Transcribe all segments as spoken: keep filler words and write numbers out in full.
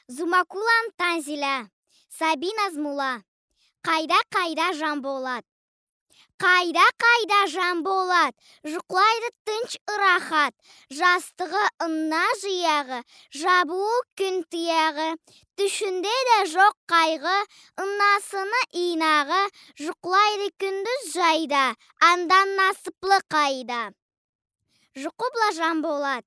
Зумакуланы Танзиля. Сабий назмула. Къайда, къайда Жанболат? Къайда, къайда Жанболат? Жукълайды тынч, ырахат. Жастыгъы, ынна жыягъы, жабыуу кюн тыягъы. Тюшюнде да жокъ къайгъы, ыннасыны ийнагъы, жукълайды кюндюз жайда, андан насыплы къайда. Жукъу бла Жанболат.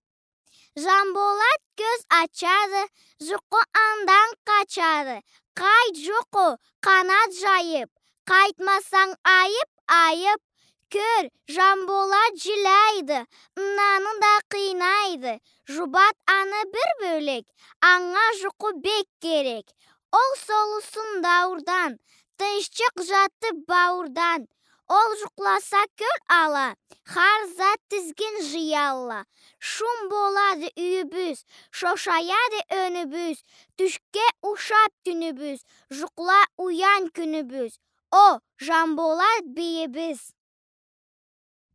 Жанболат кёз ачады, жукъу андан къачады. Къайт, жукъу, къанат жайып, къайтмасанг, айып, айып. Кёр, Жанболат жиляйды, ыннаны да къыйнайды. Жубат аны бир бёлек, анга жукъу бек керек. Ол солусун дауурдан, тынччыкъ жатып бауурдан. Ол жукъласа, кёл ала, хар зат тизгин жыялла. Шум болады юйюбюз, шошаяды ёнюбюз, тюшге ушап тюнюбюз, жукъла, уян кюнюбюз. О, Жанболат бийибиз.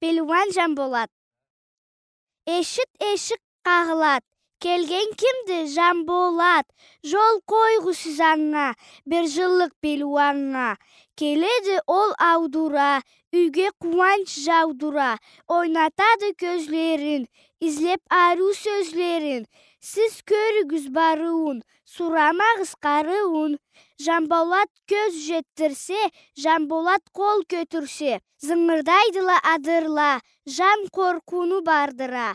Пелиуан Жанболат. Эшит, эшик къагъылад. Келген кимди? Жанболат. Жол къойгъуз сиз анга, бир жыллыкъ пелиуаннга. Келеди ол аудура, юйге къууанч жаудура. Ойнатады кёзлерин, излеп ариу сёзлерин. Сиз кёрюгюз барыуун, сурамагъыз къарыуун. Жанболат кёз жетдирсе, Жанболат къол кётюрсе. Зынгырдайдыла адырла, жан къоркъууну бардыра.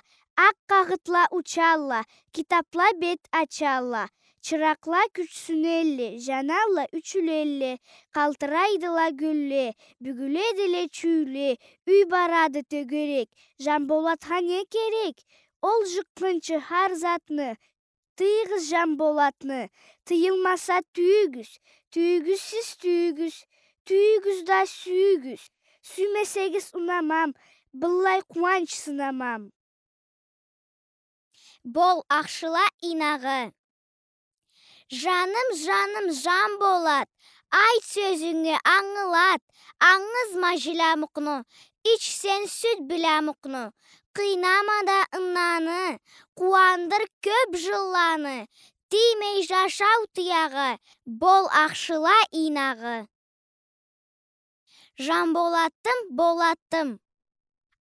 Акъ къагъытла учалла, китапла бет ачалла. Чыракъла кючсюнелле, жаналла, ёчюлелле. Къалтырайдыла гюлле, бюгюледиле чюйле. Юй барады тёгерек, Жанболатха не керек? Ол жыкъгъынчы хар затны, тыйыгъыз Жанболатны, тыйылмаса, тюйюгюз, тюйюгюз сиз, тюйюгюз, тюйюгюз да сюйюгюз. Сюймесегиз, унамам, быллай къууанч сынамам. Бол ахшыла ийнагъы. Жаным, жаным, Жанболат, айт сёзюнгю, ангылат, ангызма жилямукъну, ич сен сют билямукъну. Къыйнама да ыннаны, къууандыр кёп жылланы, тиймей жашау тыягъы, бол ахшыла ийнагъы. Жанболатым, Болатым.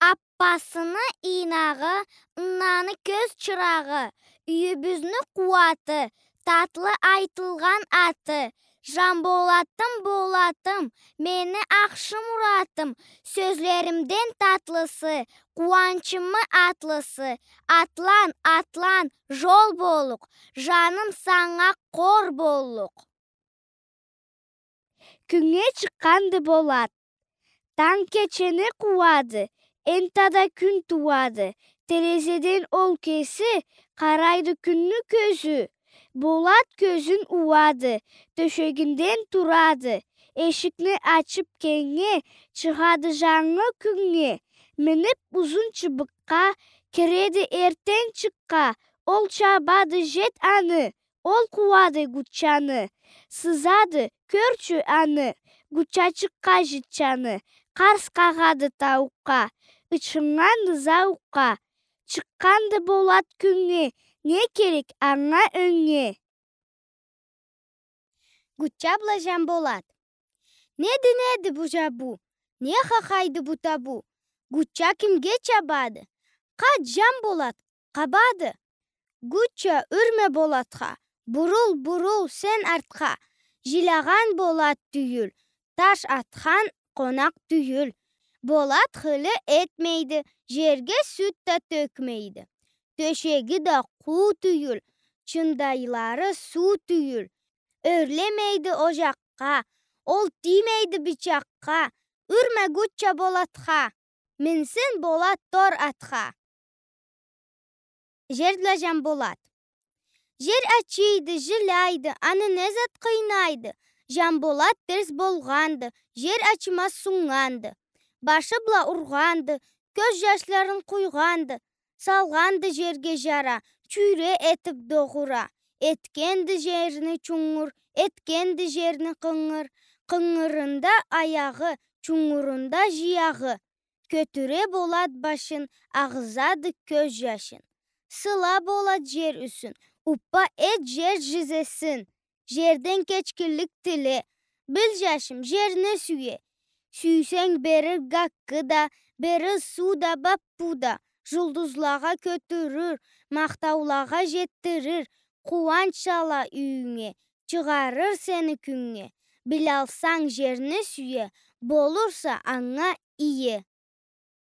Аппасыны ийнагъы, ыннаны кёз чырагъы, юйюбюзню къууаты, татлы айтылгъан аты. Жанболатым, Болатым, мени ахшы муратым, сёзлеримден татлысы, къууанчымы атлысы. Атлан, атлан, жол боллукъ, жаным, санга къор боллукъ. Кюннге чыкъгъанды Болат. Танг кечени къууады, энтда кюн тууады. Терезеден ол кеси къарайды кюнню кёзю. Болат кёзюн ууады, тёшегинден турады. Эшикни ачып кенгнге, чыгъады жангы кюннге. Минип узун чыбыкъгъа, киреди эртден чыкъгъа. Ол чабады жет аны, ол къууады гуччаны. Сызады, кёрчю аны, гуччачыкъгъа жытчаны. Къарс къагъады тауукъгъа, ычхыннганды зауукъгъа. Чыкъгъанды Болат кюннге, не керек анга ённге? Гучча бла Жанболат. Неди, неди бу жабыу? Не хахайды бу табыу? Гучча кимге чабады? Къач, Жанболат, къабады. Гучча, юрме Болатха, бурул, бурул сен артха. Жилягъан Болат тюйюл, таш атхан къонакъ тюйюл. Болат хыйлы этмейди, жерге сют да тёкмейди. Тёшеги да къуу тюйюл, чындайлары суу тюйюл. Ёрлемейди ожакъгъа, ол тиймейди бычакъгъа. Юрме, Гучча, Болатха, минсин Болат тор атха. Жер бла Жанболат. Жер ачыйды, жиляйды, аны не зат къыйнайды? Жанболат терс болгъанды, жер ачымаз суннганды. Башы бла ургъанды, кёз жашларын къуйгъанды. Салгъанды жерге жара, чюйре этип догъура. Этгенди жерни чунгур, этгенди жерни къынгыр. Къынгырында аягъы, чунгурунда жыягъы. Кётюре Болат башын, агъызады кёз жашын. Сыла Болат жер юсюн, Уппа эт жер жизесин, жерден кечгинлик тиле. Бил, жашым, жерни сюе. Сюйсенг, берир гаккы да, берир суу да, баппу да. Жулдузлагъа кётюрюр, махтаулагъа жетдирир, къууанч ала юйюнге, чыгъарыр сени кюннге. Билалсанг, жерни сюе, болурса анга ие.